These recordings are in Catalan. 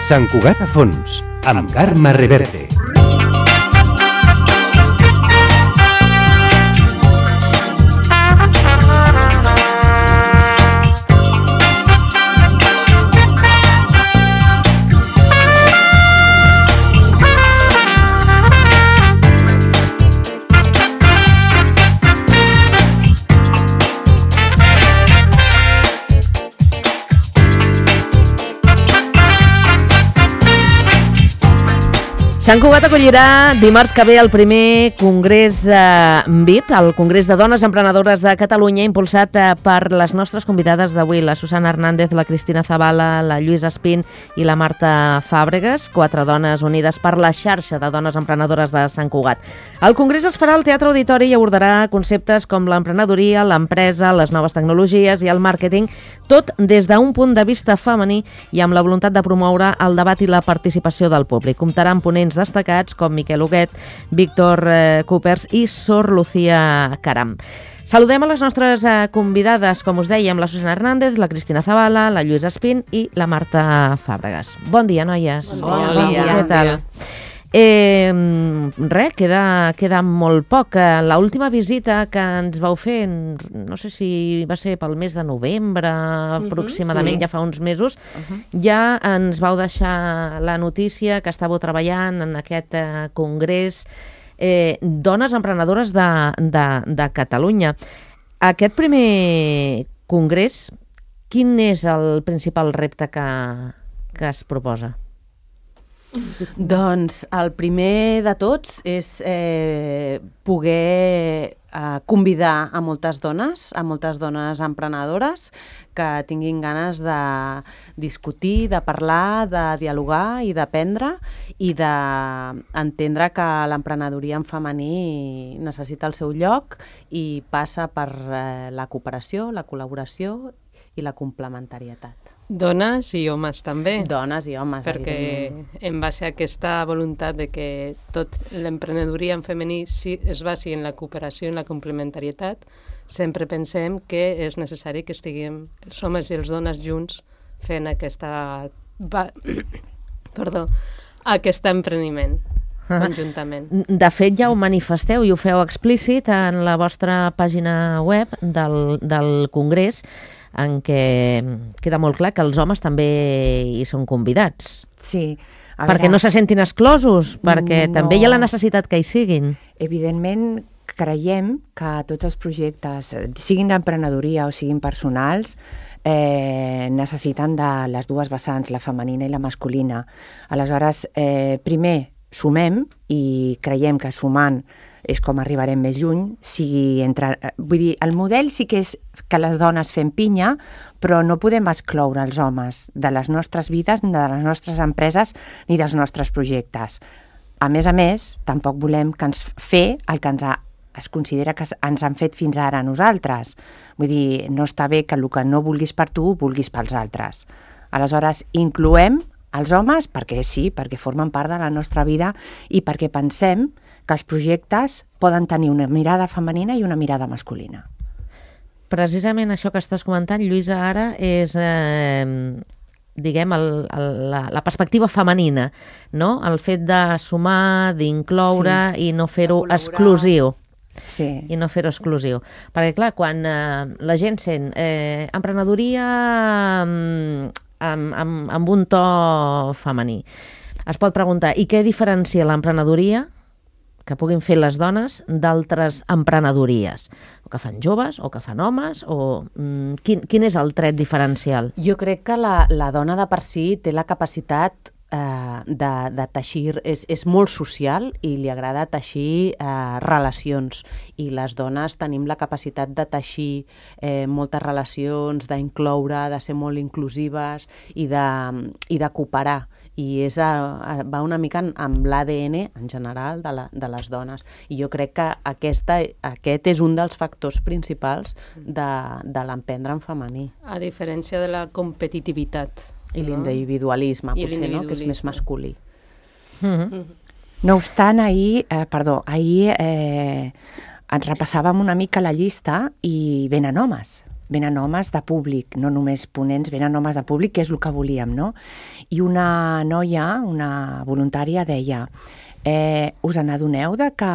Sant Cugat a fons, amb Carme Reverte. Sant Cugat acollirà dimarts que ve el primer Congrés VIP, el Congrés de Dones Emprenedores de Catalunya, impulsat per les nostres convidades d'avui, la Susana Hernández, la Cristina Zavala, la Lluïsa Espín i la Marta Fàbregas, 4 dones unides per la xarxa de dones emprenedores de Sant Cugat. El Congrés es farà al Teatre Auditori i abordarà conceptes com l'emprenedoria, l'empresa, les noves tecnologies i el màrqueting, tot des d'un punt de vista femení i amb la voluntat de promoure el debat i la participació del públic. Comptarà amb ponents destacats com Miquel Huguet, Víctor Coopers i Sor Lucía Caram. Saludem a les nostres convidades, com us dèiem, la Susana Hernández, la Cristina Zavala, la Lluïsa Espín i la Marta Fàbregas. Bon dia, noies. Bon dia. Què tal? Queda molt poc. L'última visita que ens vau fer, no sé si va ser pel mes de novembre, aproximadament, ja fa uns mesos, ja ens vau deixar la notícia que estàveu treballant en aquest congrés Dones Emprenedores de Catalunya. Aquest primer congrés, quin és el principal repte que es proposa? Doncs el primer de tots és poder convidar a moltes dones emprenedores que tinguin ganes de discutir, de parlar, de dialogar i d'aprendre i d'entendre que l'emprenedoria en femení necessita el seu lloc i passa per la cooperació, la col·laboració i la complementarietat. Dones i homes també. Dones i homes, perquè en base a aquesta voluntat de que tot l'emprenedoria en femení es basi en la cooperació i en la complementarietat, sempre pensem que és necessari que estiguem els homes i les dones junts fent aquest empreniment conjuntament. De fet, ja ho manifesteu i ho feu explícit en la vostra pàgina web del Congrés, en què queda molt clar que els homes també hi són convidats. Sí. Perquè no se sentin exclosos, perquè també hi ha la necessitat que hi siguin. Evidentment, creiem que tots els projectes, siguin d'emprenedoria o siguin personals, necessiten de les dues vessants, la femenina i la masculina. Aleshores, primer sumem i creiem que sumant és com arribarem més lluny. Vull dir, el model sí que és que les dones fem pinya, però no podem excloure els homes de les nostres vides, ni de les nostres empreses, ni dels nostres projectes. A més, tampoc volem que ens fer el que es considera que ens han fet fins ara a nosaltres. Vull dir, no està bé que el que no vulguis per tu, vulguis pels altres. Aleshores, incloem els homes perquè sí, perquè formen part de la nostra vida i perquè pensem que els projectes poden tenir una mirada femenina i una mirada masculina. Precisament això que estàs comentant, Lluïsa, ara és, diguem, la perspectiva femenina, no? El fet de sumar, d'incloure i no fer-ho exclusiu. Sí. I no fer-ho exclusiu. Perquè, clar, quan la gent sent emprenedoria amb un to femení, es pot preguntar, i què diferencia l'emprenedoria que puguin fer les dones d'altres emprenedories? O que fan joves, o que fan homes, o quin és el tret diferencial? Jo crec que la dona de per si té la capacitat de teixir, és molt social i li agrada teixir relacions, i les dones tenim la capacitat de teixir moltes relacions, d'incloure, de ser molt inclusives i de cooperar, i va una mica amb l'ADN en general de les dones, i jo crec que aquest és un dels factors principals de l'emprendre en femení. A diferència de la competitivitat. I l'individualisme, potser, no? Que és més masculí. No obstant, ahir repassàvem una mica la llista i venen homes. venen homes de públic, no només ponents, venen homes de públic, que és el que volíem, no? I una noia, una voluntària, deia us n'adoneu de que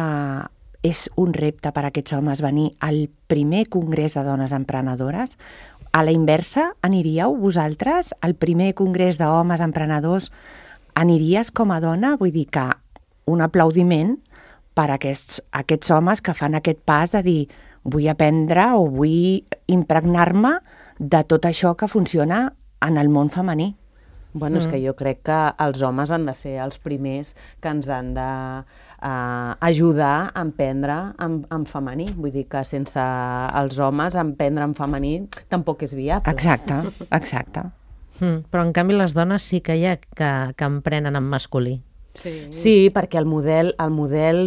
és un repte per a aquests homes venir al primer congrés de dones emprenedores? A la inversa, aniríeu vosaltres al primer congrés d'homes emprenedors? Aniries com a dona? Vull dir que un aplaudiment per a aquests homes que fan aquest pas de dir vull aprendre o vull impregnar-me de tot això que funciona en el món femení. Bueno, és que jo crec que els homes han de ser els primers que ens han d'ajudar a emprendre en femení. Vull dir que sense els homes emprendre en femení tampoc és viable. Exacte. Però en canvi les dones sí que hi ha que emprenen en masculí. Sí, perquè el model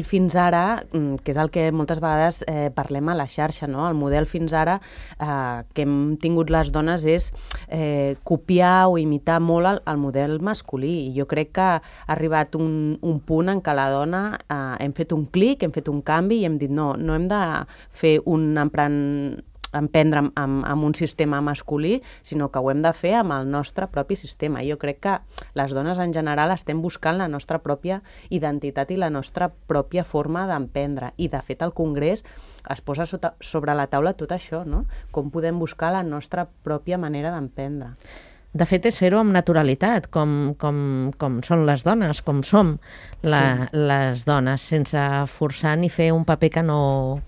fins ara, que és el que moltes vegades parlem a la xarxa, no? El model fins ara que hem tingut les dones és copiar o imitar molt el model masculí. I jo crec que ha arribat un punt en què la dona hem fet un clic, hem fet un canvi i hem dit no hem de fer emprendre amb un sistema masculí, sinó que ho hem de fer amb el nostre propi sistema. Jo crec que les dones en general estem buscant la nostra pròpia identitat i la nostra pròpia forma d'emprendre. I, de fet, al Congrés es posa sobre la taula tot això, no? Com podem buscar la nostra pròpia manera d'emprendre. De fet, és fer-ho amb naturalitat, com són les dones, com som les dones, sense forçar ni fer un paper que no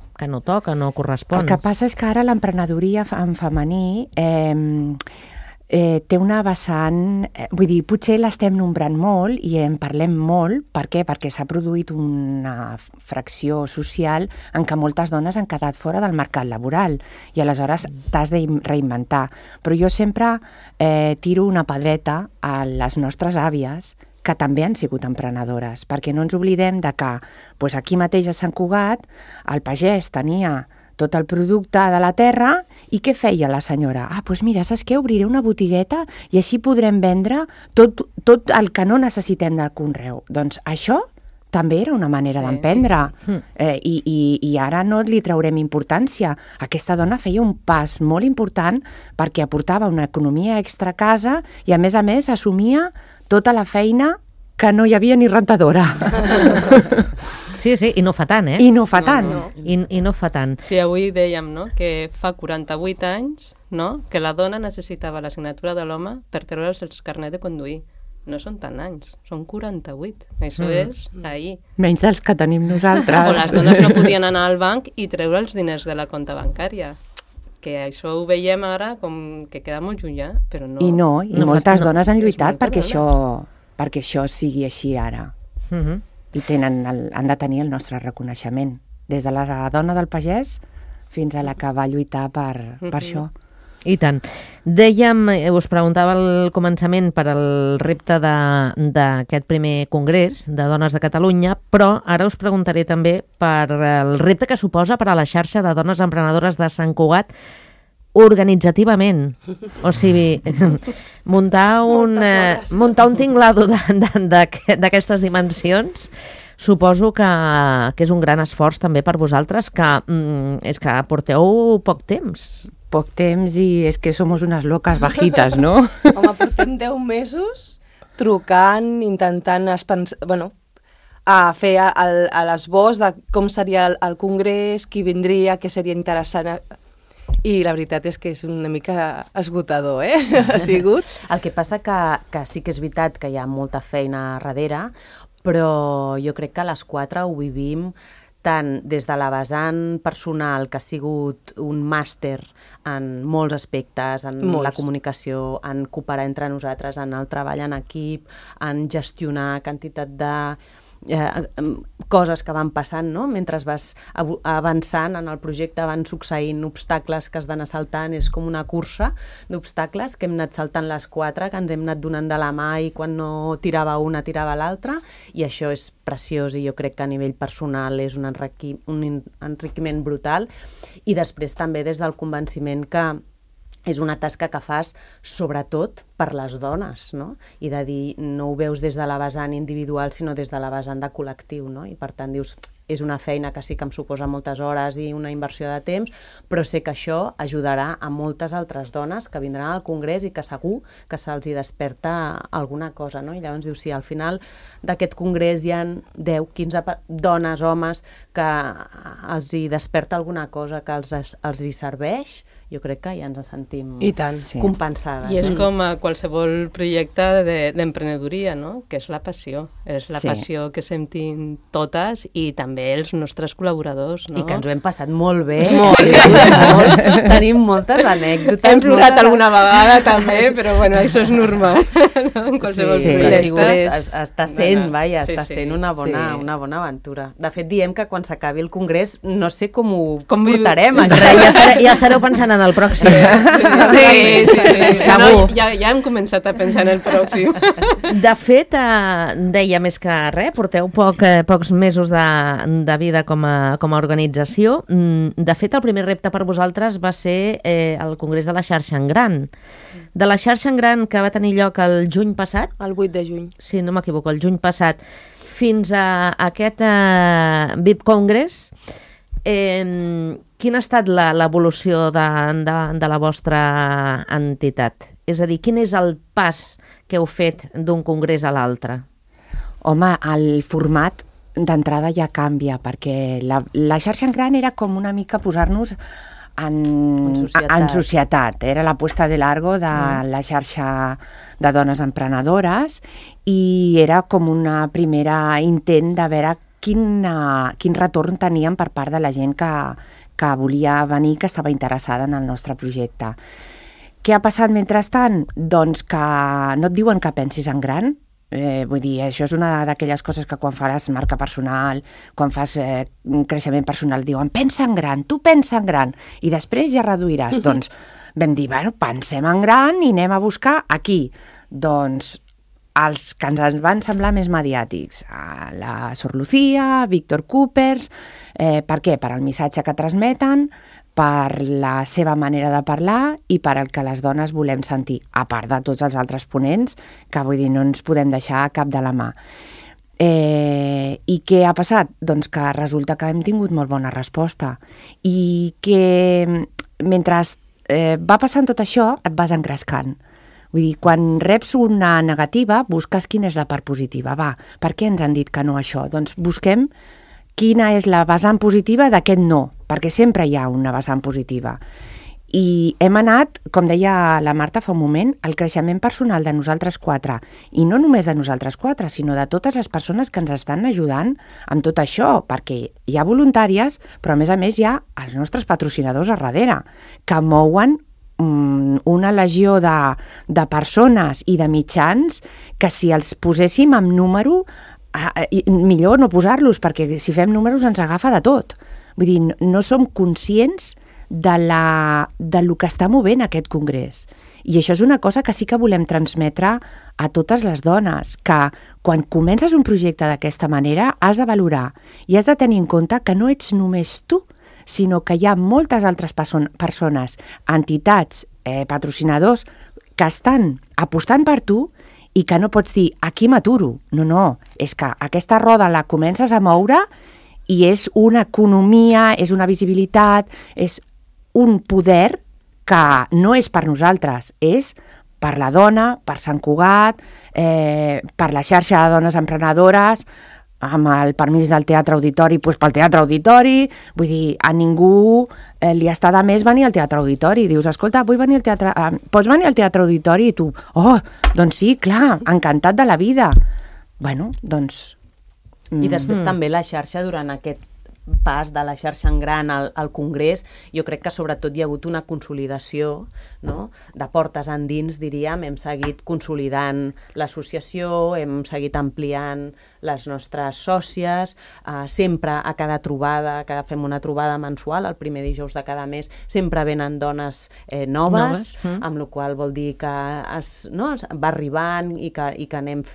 toca, no correspon. El que passa és que ara l'emprenedoria en femení té una vessant... Vull dir, potser l'estem nombrant molt i en parlem molt. Per què? Perquè s'ha produït una fracció social en què moltes dones han quedat fora del mercat laboral i aleshores t'has de reinventar. Però jo sempre tiro una pedreta a les nostres àvies que també han sigut emprenedores, perquè no ens oblidem de que aquí mateix a Sant Cugat el pagès tenia tot el producte de la terra i què feia la senyora? Doncs mira, saps què? Obriré una botigueta i així podrem vendre tot el que no necessitem del conreu. Doncs això també era una manera d'emprendre i ara no li traurem importància. Aquesta dona feia un pas molt important perquè aportava una economia extra a casa i a més assumia tota la feina que no hi havia ni rentadora. Sí, i no fa tant, I no fa tant. I no fa tant. Sí, avui dèiem, no?, que fa 48 anys, no?, que la dona necessitava la signatura de l'home per treure's el carnet de conduir. No són tant anys, són 48. Això és ahir. Menys dels que tenim nosaltres. O les dones no podien anar al banc i treure els diners de la compta bancària. Que això ho veiem ara com que queda molt llunyà, però no... I moltes dones han lluitat perquè això sigui així ara. I han de tenir el nostre reconeixement. Des de la dona del pagès fins a la que va lluitar per això. I tant. Dèiem, us preguntava al començament per al repte d'aquest primer congrés de dones de Catalunya, però ara us preguntaré també per el repte que suposa per a la xarxa de dones emprenedores de Sant Cugat organitzativament. O sigui, muntar un tinglado d'aquestes dimensions suposo que és un gran esforç també per vosaltres, que és que porteu poc temps. Poc temps i és que som unes loques bajitas, no? Home, portem 10 mesos trucant, intentant a fer l'esbós de com seria el congrés, qui vindria, què seria interessant. I la veritat és que és una mica esgotador, ha sigut. El que passa que sí que és veritat que hi ha molta feina darrere, però jo crec que a les 4 ho vivim tant des de la vessant personal, que ha sigut un màster en molts aspectes, en la comunicació, en cooperar entre nosaltres, en el treball en equip, en gestionar quantitat de coses que van passant, no? Mentre vas avançant en el projecte van succeint obstacles que has d'anar saltant, és com una cursa d'obstacles que hem anat saltant les 4, que ens hem anat donant de la mà i quan no tirava una tirava l'altra, i això és preciós i jo crec que a nivell personal és un enriquiment brutal, i després també des del convenciment que és una tasca que fas sobretot per les dones, no? I de dir, no ho veus des de la vessant individual, sinó des de la vessant de col·lectiu, no? I per tant dius, és una feina que sí que em suposa moltes hores i una inversió de temps, però sé que això ajudarà a moltes altres dones que vindran al Congrés i que segur que se'ls hi desperta alguna cosa, no? I llavors diu, si al final d'aquest Congrés hi ha 10, 15 dones, homes, que els hi desperta alguna cosa que els hi serveix, jo crec que ja ens sentim I tant, compensades. I és com a qualsevol projecte d'emprenedoria, no? Que és la passió. És la passió que sentim totes i també els nostres col·laboradors, no? I que ens ho hem passat molt bé. Molt. Tenim moltes anècdotes. Hem plorat alguna vegada també, però bueno, això és normal. No? En qualsevol projecte. Està sent, està sent una bona aventura. De fet, diem que quan s'acabi el Congrés no sé com ho portarem. Ja estareu pensant en el pròxim. Sí. No, ja hem començat a pensar en el pròxim. De fet, deia més que res, porteu pocs mesos de vida com a organització. De fet, el primer repte per vosaltres va ser el Congrés de la Xarxa en Gran. De la Xarxa en Gran, que va tenir lloc el juny passat. El 8 de juny. Sí, no m'equivoco, el juny passat, fins a aquest VIP Congress. Quina ha estat l'evolució de la vostra entitat? És a dir, quin és el pas que heu fet d'un congrés a l'altre? Home, el format d'entrada ja canvia, perquè la xarxa en gran era com una mica posar-nos en societat. Era la puesta de largo de la xarxa de dones emprenedores i era com una primera intent de veure quin retorn teníem per part de la gent que volia venir, que estava interessada en el nostre projecte. Què ha passat mentrestant? Doncs que no et diuen que pensis en gran. Vull dir, això és una d'aquelles coses que quan faràs marca personal, quan fas creixement personal, diuen pensa en gran, tu pensa en gran, i després ja reduiràs. Doncs vam dir, bueno, pensem en gran i anem a buscar aquí. Doncs els que ens van semblar més mediàtics, la Sor Lucía, Víctor Coopers, per què? Per el missatge que transmeten, per la seva manera de parlar i per el que les dones volem sentir, a part de tots els altres ponents, que vull dir, no ens podem deixar cap de la mà. I què ha passat? Doncs que resulta que hem tingut molt bona resposta i que mentre va passant tot això et vas engrescant. Vull dir, quan reps una negativa, busques quina és la part positiva. Va, per què ens han dit que no això? Doncs busquem quina és la vessant positiva d'aquest no, perquè sempre hi ha una vessant positiva. I hem anat, com deia la Marta fa un moment, al creixement personal de nosaltres quatre, i no només de nosaltres quatre, sinó de totes les persones que ens estan ajudant amb tot això, perquè hi ha voluntàries, però a més hi ha els nostres patrocinadors a darrere, que mouen una legió de persones i de mitjans que si els poséssim amb número, millor no posar-los, perquè si fem números ens agafa de tot. Vull dir, no som conscients de lo que està movent aquest congrés. I això és una cosa que sí que volem transmetre a totes les dones, que quan comences un projecte d'aquesta manera has de valorar i has de tenir en compte que no ets només tu, sinó que hi ha moltes altres persones, entitats, patrocinadors, que estan apostant per tu i que no pots dir, aquí m'aturo. No, és que aquesta roda la comences a moure i és una economia, és una visibilitat, és un poder que no és per nosaltres, és per la dona, per Sant Cugat, per la xarxa de dones emprenedores, amb el permís del Teatre Auditori, doncs pel Teatre Auditori. Vull dir, a ningú li està de més venir al Teatre Auditori. Dius, escolta, vull venir al teatre, pots venir al Teatre Auditori? I tu, doncs sí, clar, encantat de la vida. Bueno, doncs... I després també la xarxa durant aquest pas de la xarxa en gran al Congrés, jo crec que sobretot hi ha hagut una consolidació, no? De portes endins, diríem, hem seguit consolidant l'associació, hem seguit ampliant les nostres sòcies, sempre a cada trobada, que fem una trobada mensual, el primer dijous de cada mes, sempre venen dones noves, amb la qual vol dir que va arribant i que anem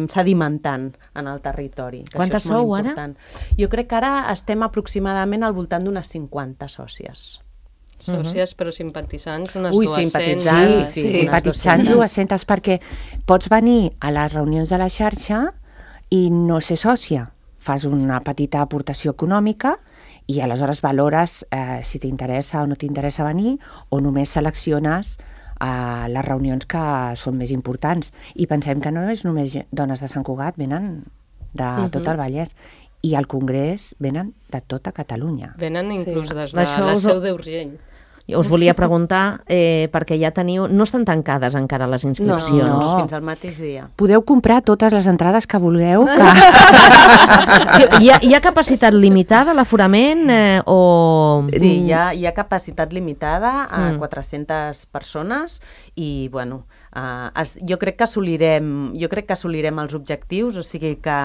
sedimentant en el territori. Quantes sou ara? Jo crec que ara estem aproximadament al voltant d'unes 50 sòcies. Sòcies, però simpatitzants, unes 200. Simpatitzants 200, perquè pots venir a les reunions de la xarxa i no ser sòcia. fas una petita aportació econòmica i aleshores valores si t'interessa o no t'interessa venir, o només selecciones les reunions que són més importants. I pensem que no és només dones de Sant Cugat, venen de tot el Vallès. I al Congrés venen de tota Catalunya. Venen inclús des de D'això la us- Seu d'Urgell. Us volia preguntar, perquè ja teniu... No estan tancades encara les inscripcions. No, fins al mateix dia. Podeu comprar totes les entrades que vulgueu. Hi ha capacitat limitada a l'aforament o... Sí, hi ha capacitat limitada a 400 persones i, bueno, jo crec que assolirem els objectius, o sigui que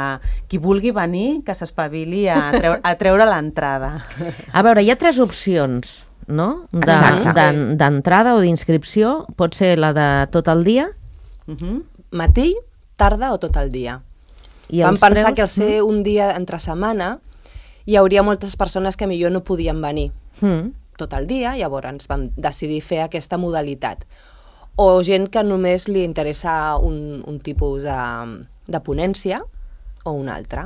qui vulgui venir, que s'espavili a treure l'entrada. A veure, hi ha 3 opcions, no? D'entrada o d'inscripció. Pot ser la de tot el dia. Matí, tarda o tot el dia. I Vam els pensar preus? que al ser un dia entre setmana hi hauria moltes persones que millor no podien venir tot el dia, llavors vam decidir fer aquesta modalitat. O gent que només li interessa un tipus de ponència o un altre.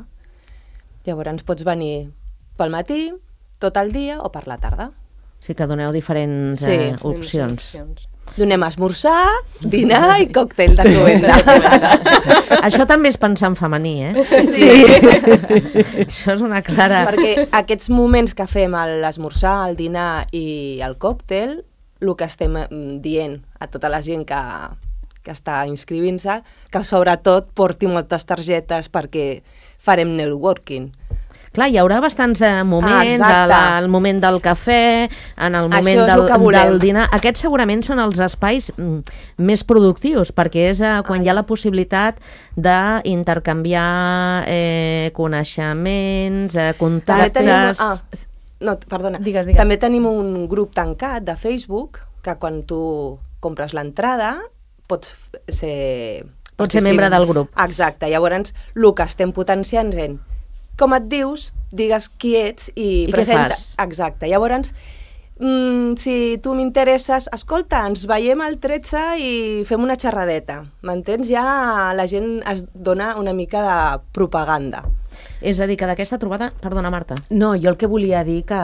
Llavors pots venir pel matí, tot el dia o per la tarda. Sí que doneu diferents Sí. opcions. Donem esmorzar, dinar i còctel de cloenda. Això també és pensar en femení, eh? Sí. Això és una clara... Perquè aquests moments que fem l'esmorzar, el dinar i el còctel, el que estem dient a tota la gent que està inscrivint-se, que sobretot porti moltes targetes perquè farem networking. Clar, hi haurà bastants moments, exacte. al moment del cafè, en el moment Això és el que volem. del dinar. Aquests segurament són els espais més productius, perquè és quan hi ha la possibilitat d'intercanviar coneixements, contactes... Perdona. Digues. També tenim un grup tancat de Facebook que quan tu compres l'entrada pots ser... Pots ser membre del grup. Exacte. Llavors, el que estem potenciant és com et dius, digues qui ets i què presenta. fas? Exacte. Llavors, si tu m'interesses, escolta, ens veiem al 13 i fem una xerradeta. M'entens? Ja la gent es dona una mica de propaganda. És a dir, que d'aquesta trobada... Perdona, Marta. No, jo el que volia dir que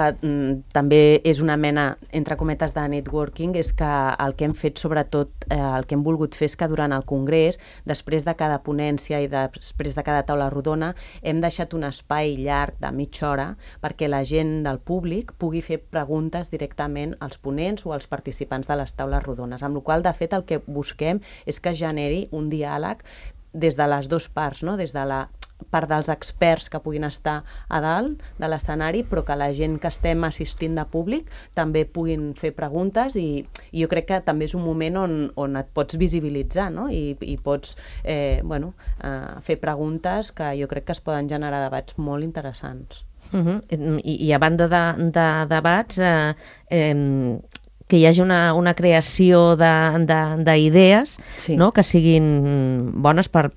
també és una mena, entre cometes, de networking, és que el que hem fet, sobretot, el que hem volgut fer és que durant el Congrés, després de cada ponència i després de cada taula rodona, hem deixat un espai llarg de mitja hora perquè la gent del públic pugui fer preguntes directament als ponents o als participants de les taules rodones, amb la qual cosa, de fet, el que busquem és que es generi un diàleg des de les dues parts, no? Des de la part dels experts que puguin estar a dalt de l'escenari, però que la gent que estem assistint de públic també puguin fer preguntes i jo crec que també és un moment on et pots visibilitzar, no? I pots fer preguntes que jo crec que es poden generar debats molt interessants. I a banda de debats, que hi hagi una creació d'idees, Sí. no? Que siguin bones per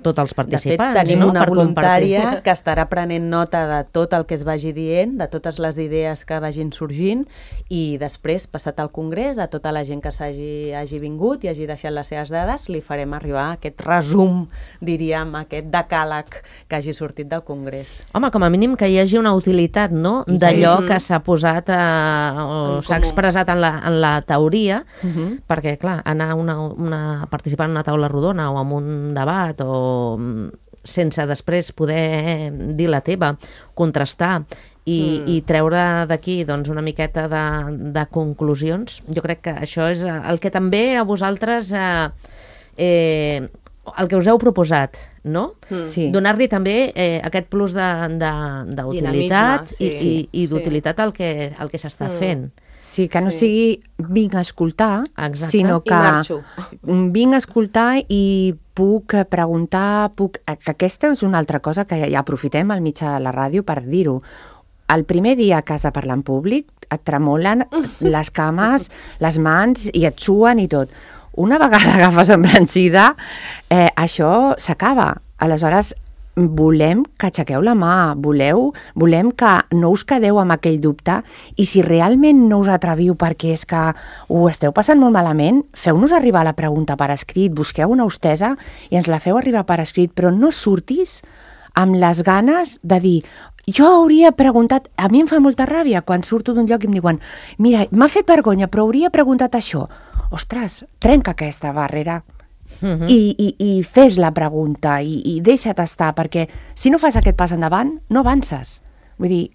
tots els participants. De fet, tenim no? una Per voluntària compartir. que estarà prenent nota de tot el que es vagi dient, de totes les idees que vagin sorgint i després, passat al Congrés, a tota la gent que hagi vingut i hagi deixat les seves dades, li farem arribar aquest resum, diríem, aquest decàleg que hagi sortit del Congrés. Home, com a mínim que hi hagi una utilitat, no? D'allò que s'ha posat o s'ha expressat en la teoria, perquè, clar, anar a participar en una taula rodona o en un debat o sense després poder dir la teva, contrastar i treure d'aquí doncs, una miqueta de conclusions, jo crec que això és el que també a vosaltres el que us heu proposat, no? Sí. Donar-li també aquest plus d'utilitat Dinamisme, i d'utilitat al que s'està fent. Sí, que no sigui vinc a escoltar, Exacte. sinó I que marxo. vinc a escoltar i puc preguntar, que aquesta és una altra cosa que ja aprofitem al mitjà de la ràdio per dir-ho. El primer dia que has de parlar en públic et tremolen les cames, les mans i et suen i tot. Una vegada agafes embranzida, això s'acaba. Aleshores, volem que aixequeu la mà, volem que no us quedeu amb aquell dubte i si realment no us atreviu perquè és que ho esteu passant molt malament, feu-nos arribar la pregunta per escrit, busqueu una hostessa i ens la feu arribar per escrit, però no surtis amb les ganes de dir jo hauria preguntat, a mi em fa molta ràbia quan surto d'un lloc i em diuen mira, m'ha fet vergonya, però hauria preguntat això. Ostres, trenca aquesta barrera i fes la pregunta i deixa't estar, perquè si no fas aquest pas endavant, no avances. Vull dir,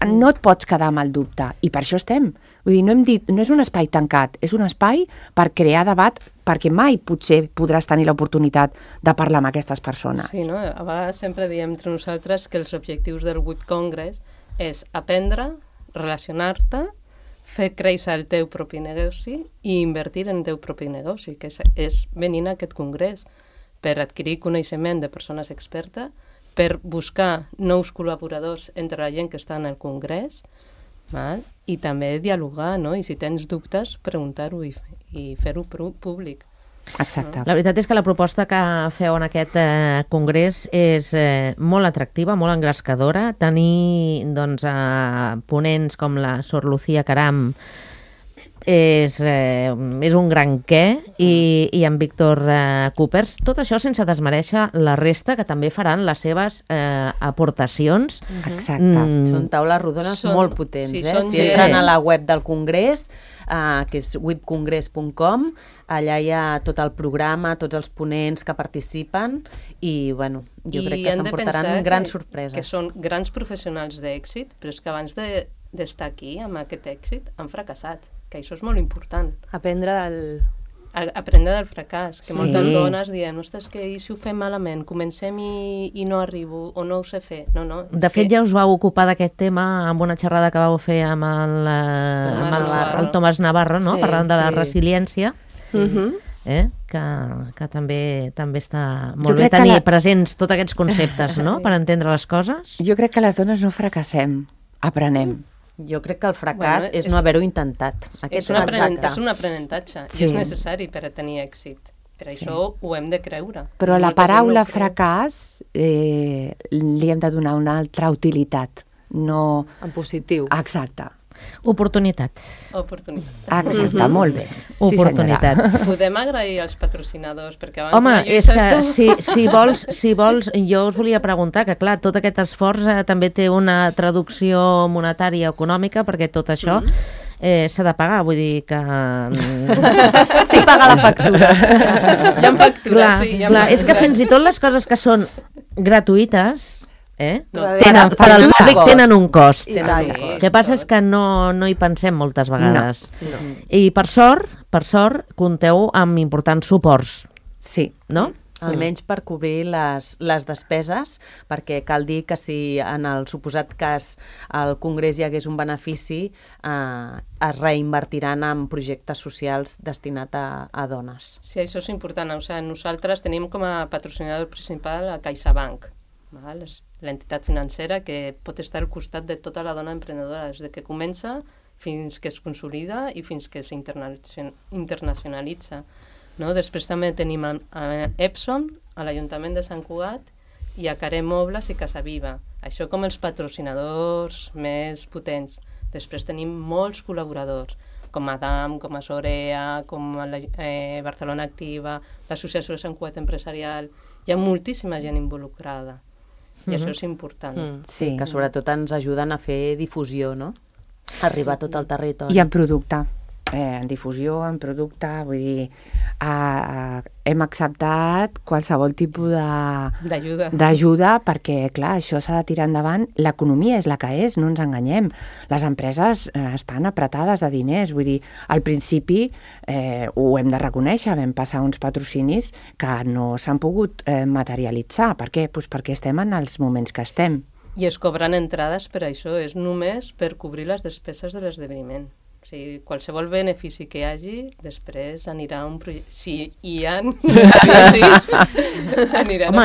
no et pots quedar amb el dubte, i per això estem. Vull dir, no és un espai tancat, és un espai per crear debat, perquè mai potser podràs tenir l'oportunitat de parlar amb aquestes persones. Sí, no? A vegades sempre diem entre nosaltres que els objectius del World Congress és aprendre, relacionar-te, fer créixer el teu propi negoci i invertir en el teu propi negoci, que és venir a aquest congrés per adquirir coneixement de persones expertes, per buscar nous col·laboradors entre la gent que està en el congrés, val? I també dialogar, no? I si tens dubtes, preguntar-ho i fer-ho públic. Exacte. La veritat és que la proposta que feu en aquest congrés és molt atractiva, molt engrescadora. Tenir doncs, ponents com la Sor Lucía Caram és un gran què, i en Víctor Coopers. Tot això sense desmereixer la resta, que també faran les seves aportacions. Exacte. Són taules rodones molt potents. Sí, Si entren a la web del Congrés, que és webcongress.com, allà hi ha tot el programa, tots els ponents que participen i, bueno, jo crec que s'emportaran grans sorpreses. Que són grans professionals d'èxit, però és que abans d'estar aquí, amb aquest èxit, han fracassat, que això és molt important. Aprendre del fracàs, que moltes dones diem, ostres, que si ho fem malament, comencem i no arribo, o no ho sé fer. No. De fet, ja us vau ocupar d'aquest tema amb una xerrada que vau fer amb el Tomàs Navarro, no? Parlant de la resiliència, que també està molt bé tenir presents tots aquests conceptes, no?, per entendre les coses. Jo crec que les dones no fracassem, aprenem. Jo crec que el fracàs és no haver-ho intentat. És un aprenentatge, i és necessari per a tenir èxit. Per això ho hem de creure. Però a la paraula fracàs li hem de donar una altra utilitat. No... En positiu. Exacte. Oportunitat. Exacte, molt bé. Oportunitat. Podem agrair als patrocinadors, perquè abans... Home, és que si vols, jo us volia preguntar que, clar, tot aquest esforç també té una traducció monetària econòmica, perquè tot això s'ha de pagar, vull dir que... Sí, paga la factura. Hi ha factura, sí. Clar, és que fins i tot les coses que són gratuïtes... No, per al públic tenen un cost. El que passa és que no hi pensem moltes vegades. I per sort, compteu amb importants suports. Sí. No? Almenys per cobrir les despeses, perquè cal dir que si en el suposat cas al Congrés hi hagués un benefici, es reinvertiran en projectes socials destinats a dones. Sí, això és important. O sigui, nosaltres tenim com a patrocinador principal a CaixaBank. És l'entitat financera que pot estar al costat de tota la dona emprenedora, des que comença fins que es consolida i fins que s'internacionalitza. No? Després també tenim a Epson, a l'Ajuntament de Sant Cugat, i a Caré Mobles i Casa Viva. Això com els patrocinadors més potents. Després tenim molts col·laboradors, com Adam, com a Sorea, com a Barcelona Activa, l'Associació de Sant Cugat Empresarial. Hi ha moltíssima gent involucrada. I això és important. Sí, que sobretot ens ajuden a fer difusió, no? Arribar a tot el territori. I en producte. En difusió, en producte, vull dir, hem acceptat qualsevol tipus d'ajuda perquè, clar, això s'ha de tirar endavant. L'economia és la que és, no ens enganyem. Les empreses estan apretades de diners, vull dir, al principi ho hem de reconèixer, vam passar uns patrocinis que no s'han pogut materialitzar. Per què? Pues perquè estem en els moments que estem. I es cobren entrades per això, és només per cobrir les despeses de l'esdeveniment. O sigui, qualsevol benefici que hi hagi, després anirà a un projecte... Si hi ha... Home,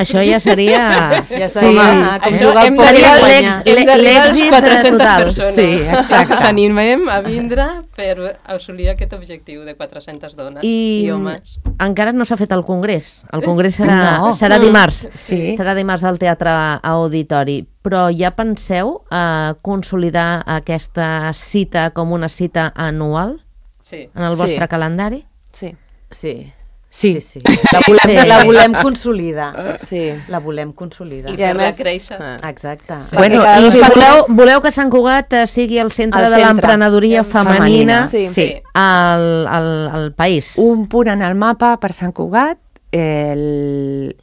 això ja seria... Això hem d'arribar als 400 persones. Sí, exacte. Us animem a vindre per assolir aquest objectiu de 400 dones i homes. Encara no s'ha fet el congrés. El congrés serà dimarts. Serà dimarts al Teatre Auditori. Però ja penseu consolidar aquesta cita com una cita anual en el vostre calendari? Sí. Sí. La volem consolidar. Sí. La volem consolidar. I I a fer-la més- créixer. Exacte. Sí. Bueno, Perquè cada i dos si per voleu que Sant Cugat sigui el centre El de centre. l'emprenedoria femenina Sí. al país. Un punt en el mapa per Sant Cugat, el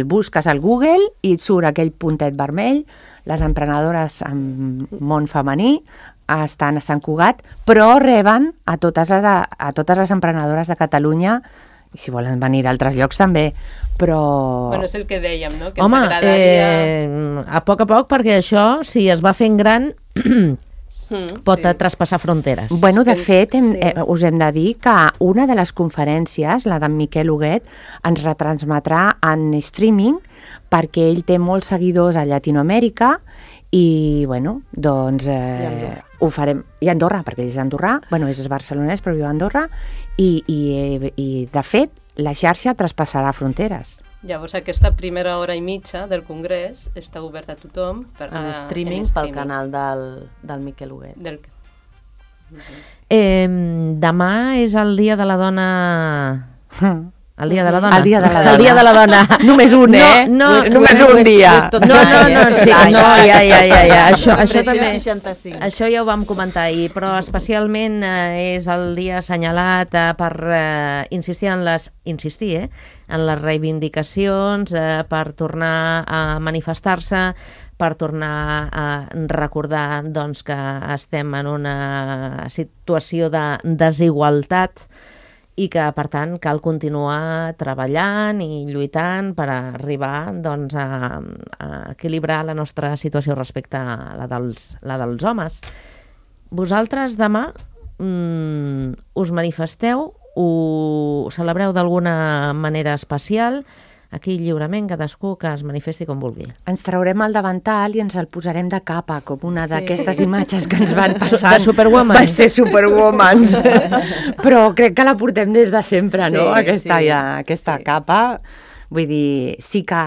busques al Google i et surt aquell puntet vermell, les emprenedores en món femení estan a Sant Cugat, però reben a totes les emprenedores de Catalunya, i si volen venir d'altres llocs també, però... Bueno, és el que dèiem, no? Que Home, ens agradaria... a poc, perquè això, si es va fent gran, pot traspassar fronteres. Bueno, de Sí, fet, sí. us hem de dir que una de les conferències, la d'en Miquel Huguet, ens retransmetrà en streaming perquè ell té molts seguidors a Llatinoamèrica i, bueno, doncs Andorra. ho farem. I a Andorra, perquè ell és andorrà, bueno, és barcelonès però viu a Andorra i de fet, la xarxa traspassarà fronteres. Llavors, aquesta primera hora i mitja del congrés està oberta a tothom. En streaming pel canal del Miquel Huguet. Demà és el dia de la dona... El dia de la dona. El dia de la dona. El dia de la dona. Només un, només un dia. No, sí, no, ja. Això també... 65. Això ja ho vam comentar ahir, però especialment és el dia assenyalat per insistir en les reivindicacions, per tornar a manifestar-se, per tornar a recordar doncs, que estem en una situació de desigualtat i que, per tant, cal continuar treballant i lluitant per arribar doncs, a equilibrar la nostra situació respecte a la dels homes. Vosaltres demà us manifesteu, ho celebreu d'alguna manera especial? Aquí lliurement, cadascú que es manifesti com vulgui. Ens traurem el davantal i ens el posarem de capa, com una d'aquestes imatges que ens van passar. De Superwoman. Va ser Superwoman. Però crec que la portem des de sempre, no? Aquesta capa. Vull dir, sí que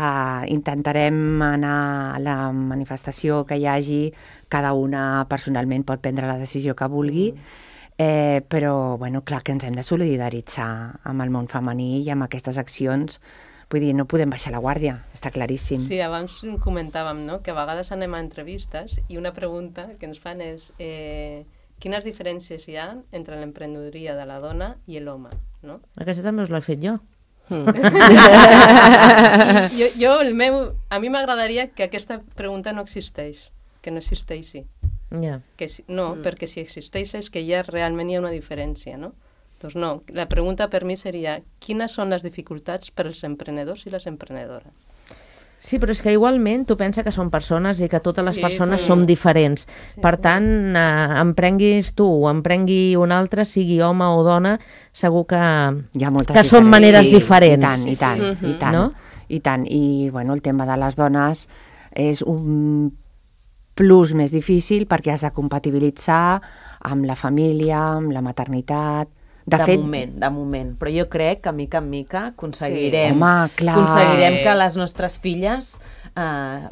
intentarem anar a la manifestació que hi hagi, cada una personalment pot prendre la decisió que vulgui, però, bueno, clar que ens hem de solidaritzar amb el món femení i amb aquestes accions. Vull dir, no podem baixar la guàrdia, està claríssim. Sí, abans comentàvem, no?, que a vegades anem a entrevistes i una pregunta que ens fan és quines diferències hi ha entre l'emprenedoria de la dona i l'home, no? Aquesta també us l'he fet jo. A mi m'agradaria que aquesta pregunta no existeix, que no existeixi. Ja. Perquè si existeix és que ja realment hi ha una diferència, no? Doncs no, la pregunta per mi seria quines són les dificultats per als emprenedors i les emprenedores? Sí, però és que igualment tu pensa que són persones i que totes les persones sí. som diferents. Sí, per tant, emprenguis tu o emprengui un altre, sigui home o dona, segur que són maneres diferents. I tant. No? I tant. I, bueno, el tema de les dones és un plus més difícil perquè has de compatibilitzar amb la família, amb la maternitat. De moment. Però jo crec que mica en mica aconseguirem que les nostres filles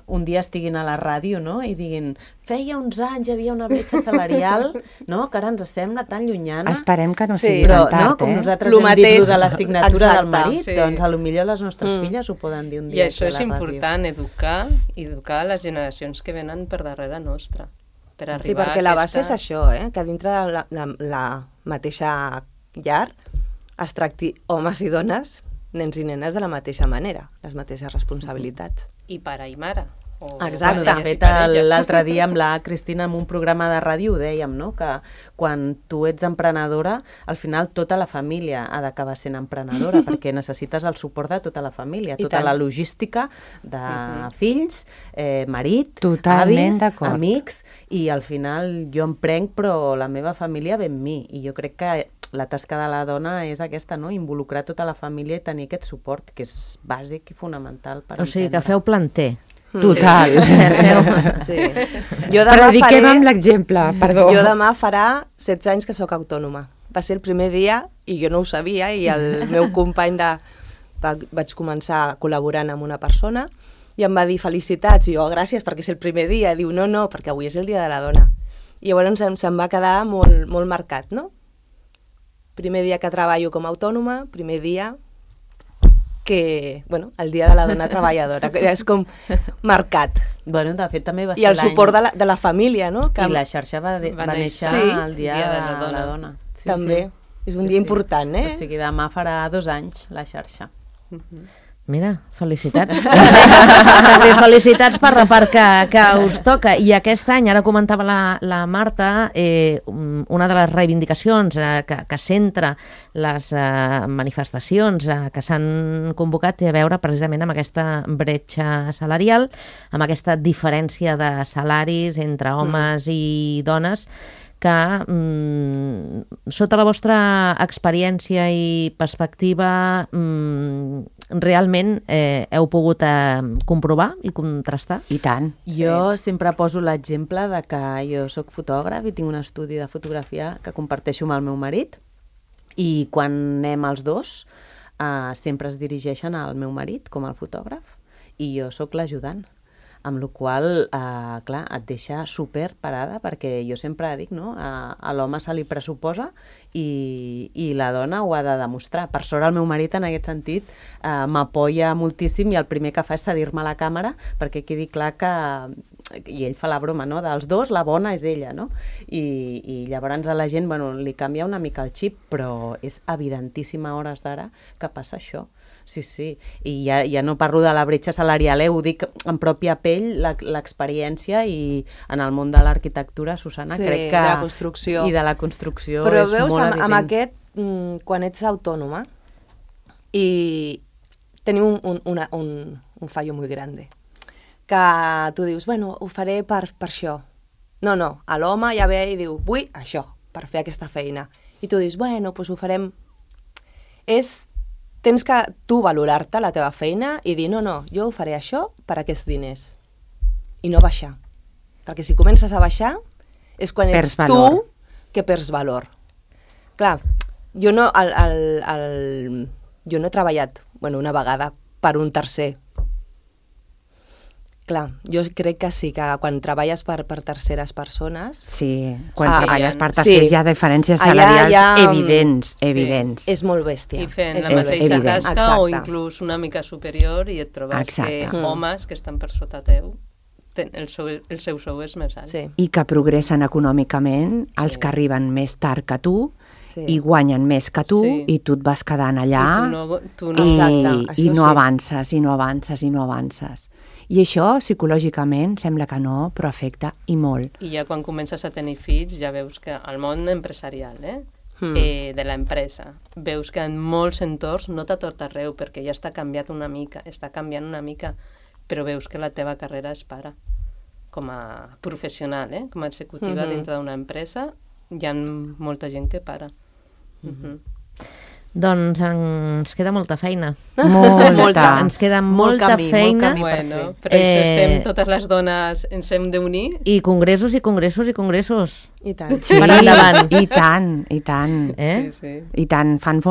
un dia estiguin a la ràdio, no?, i diguin, feia uns anys hi havia una bretxa salarial, no?, que ara ens sembla tan llunyana. Esperem que no sigui tan tard, com nosaltres hem dit de la signatura del marit, doncs potser les nostres filles ho poden dir un dia. I això és important, educar les generacions que venen per darrere nostra. Sí, perquè la base és això, que dintre la mateixa llar es tracti homes i dones, nens i nenes de la mateixa manera, les mateixes responsabilitats. I pare i mare. Exacte. De fet, l'altre dia amb la Cristina en un programa de ràdio ho dèiem, no?, que quan tu ets emprenedora, al final tota la família ha d'acabar sent emprenedora, perquè necessites el suport de tota la família, tota la logística de fills, marit, avis, amics, i al final jo emprenc però la meva família ve amb mi, i jo crec que la tasca de la dona és aquesta, no?, involucrar tota la família i tenir aquest suport, que és bàsic i fonamental per emprendre. O sigui, que feu planter. Total. Sí. Prediquem amb l'exemple, perdó. Jo demà farà 16 anys que sóc autònoma. Va ser el primer dia, i jo no ho sabia, i el meu company vaig començar col·laborant amb una persona, i em va dir felicitats, i jo gràcies perquè és el primer dia, diu no, perquè avui és el dia de la dona. I llavors se'm va quedar molt marcat, no? Primer dia que treballo com a autònoma, primer dia que, bueno, el Dia de la Dona Treballadora, que és com marcat. Bueno, de fet, també va ser I el suport de la família, no? I la xarxa va néixer el Dia de la Dona. Sí, també. És un dia important, eh? O sigui, demà farà 2 anys la xarxa. Mira, felicitats. També felicitats per que us toca. I aquest any, ara comentava la Marta, una de les reivindicacions que centra les manifestacions que s'han convocat té a veure precisament amb aquesta bretxa salarial, amb aquesta diferència de salaris entre homes i dones, que sota la vostra experiència i perspectiva realment heu pogut comprovar i contrastar? I tant. Jo sempre poso l'exemple de que jo sóc fotògraf i tinc un estudi de fotografia que comparteixo amb el meu marit, i quan anem els dos sempre es dirigeixen al meu marit com el fotògraf i jo sóc l'ajudant. Amb la qual cosa, clar, et deixa super parada, perquè jo sempre dic, no?, a l'home se li pressuposa i la dona ho ha de demostrar. Per sort el meu marit en aquest sentit m'apoya moltíssim, i el primer que fa és cedir-me la càmera perquè quedi clar que, i ell fa la broma, no?, dels dos la bona és ella, no? I llavors a la gent, bueno, li canvia una mica el xip, però és evidentíssim a hores d'ara que passa això. Sí, sí, i ja no parlo de la bretxa salarial, ho dic en pròpia pell, l'experiència, i en el món de l'arquitectura, Susana, sí, crec que... de la construcció. I de la construcció. Però és veus, molt evident. amb aquest, quan ets autònoma, i tenim un fallo molt gran, que tu dius, bueno, ho faré per això. No, l'home ja ve i diu, vull això, per fer aquesta feina. I tu dius, bueno, doncs ho farem... Tens que tu valorar-te la teva feina i dir, no, jo ho faré això per aquests diners. I no baixar. Perquè si comences a baixar és quan ets tu que perds valor. Clar, jo no he treballat una vegada per un tercer. Clar, jo crec que sí, que quan treballes per terceres persones... Sí, quan treballes per tercers hi ha diferències salarials evidents. És molt bèstia. I fent la mateixa tasca o inclús una mica superior, i et trobes que homes que estan per sota teu, el seu sou és més alt. I que progressen econòmicament, els que arriben més tard que tu, i guanyen més que tu, i tu et vas quedant allà i no avances, i no avances, i no avances. I això, psicològicament, sembla que no, però afecta i molt. I ja quan comences a tenir fills, ja veus que al món empresarial, de l'empresa, veus que en molts entorns, no a tot arreu, perquè ja està canviant una mica, però veus que la teva carrera es para. Com a professional, com a executiva dintre d'una empresa, hi ha molta gent que para. Doncs ens queda molta feina. Molta. Ens queda molta feina. Bueno, per això estem totes les dones, ens hem d'unir. I congressos, i congressos, i congressos. I tant. Per endavant. I tant. Sí. I tant, fan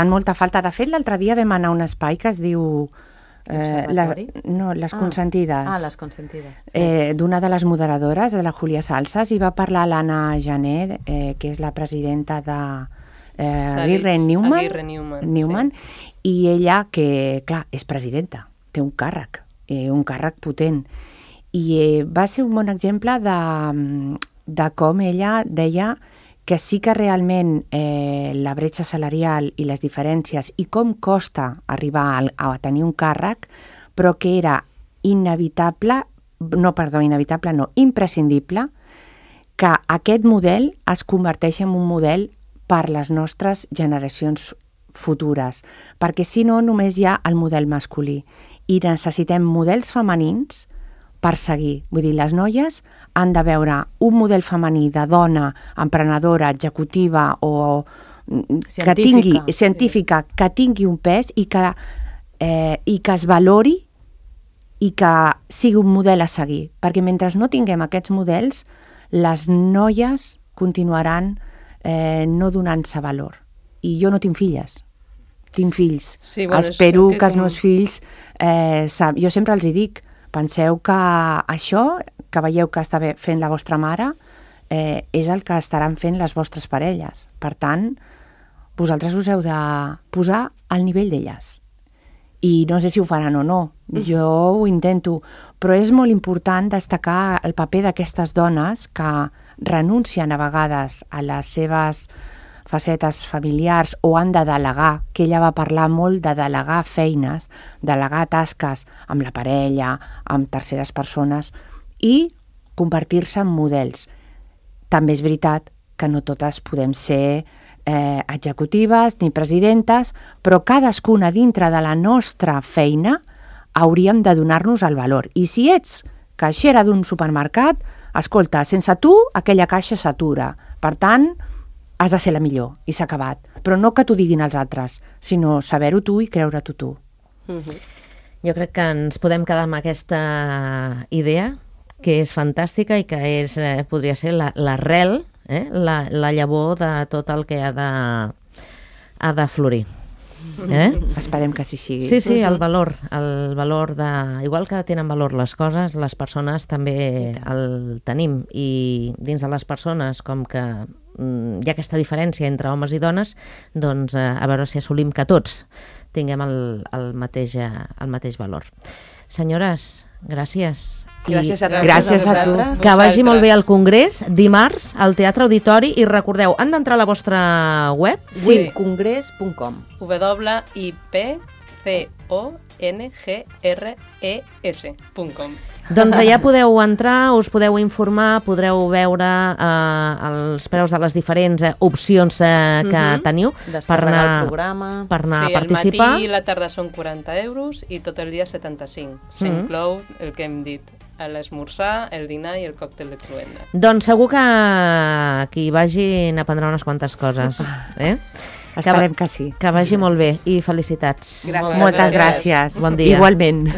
molta falta. De fet, l'altre dia vam anar a un espai que es diu... les consentides. Les consentides. D'una de les moderadores, de la Júlia Salsas, i va parlar l'Anna Jané, que és la presidenta de Aguirre Newman, i ella, que clar, és presidenta, té un càrrec potent, i va ser un bon exemple de com ella deia que sí que realment la bretxa salarial i les diferències i com costa arribar a tenir un càrrec, però que era imprescindible que aquest model es converteix en un model per les nostres generacions futures, perquè si no només hi ha el model masculí i necessitem models femenins per seguir. Vull dir, les noies han de veure un model femení de dona, emprenedora, executiva o científica, que tingui un pes i que es valori i que sigui un model a seguir. Perquè mentre no tinguem aquests models, les noies continuaran no donant-se valor. I jo no tinc filles, tinc fills. Sí, bueno, espero que els meus fills... jo sempre els dic, penseu que això que veieu que està fent la vostra mare és el que estaran fent les vostres parelles. Per tant, vosaltres us heu de posar al nivell d'elles. i no sé si ho faran o no, jo ho intento, però és molt important destacar el paper d'aquestes dones que renuncien a vegades a les seves facetes familiars o han de delegar, que ella va parlar molt de delegar feines, delegar tasques amb la parella, amb terceres persones i convertir-se en models. També és veritat que no totes podem ser executives ni presidentes, però cadascuna dintre de la nostra feina hauríem de donar-nos el valor. I si ets caixera d'un supermercat, escolta, sense tu aquella caixa s'atura. Per tant, has de ser la millor i s'ha acabat. Però no que t'ho diguin els altres, sinó saber-ho tu i creure-t'ho tu. Jo crec que ens podem quedar amb aquesta idea, que és fantàstica i que és, podria ser l'arrel, la llavor de tot el que ha de florir. Esperem que així sigui. Sí, el valor de... Igual que tenen valor les coses, les persones també el tenim. I dins de les persones, com que hi ha aquesta diferència entre homes i dones, doncs a veure si assolim que tots tinguem el mateix valor. Senyores, gràcies. Gràcies a tu. Que vagi molt bé el Congrés, dimarts, al Teatre Auditori, i recordeu, han d'entrar a la vostra web? Sí, congrés.com. www.congres.com. Doncs allà podeu entrar, us podeu informar, podreu veure els preus de les diferents opcions que teniu per anar el programa. Per anar a Sí, participar. el matí i la tarda són 40 euros i tot el dia 75. S'inclou el que hem dit, l'esmorzar, el dinar i el còctel de cloenda. Doncs segur que qui vagi n'aprendrà unes quantes coses. Esperem que sí. Que vagi molt bé i felicitats. Gràcies. Moltes gràcies. Bon dia. Igualment.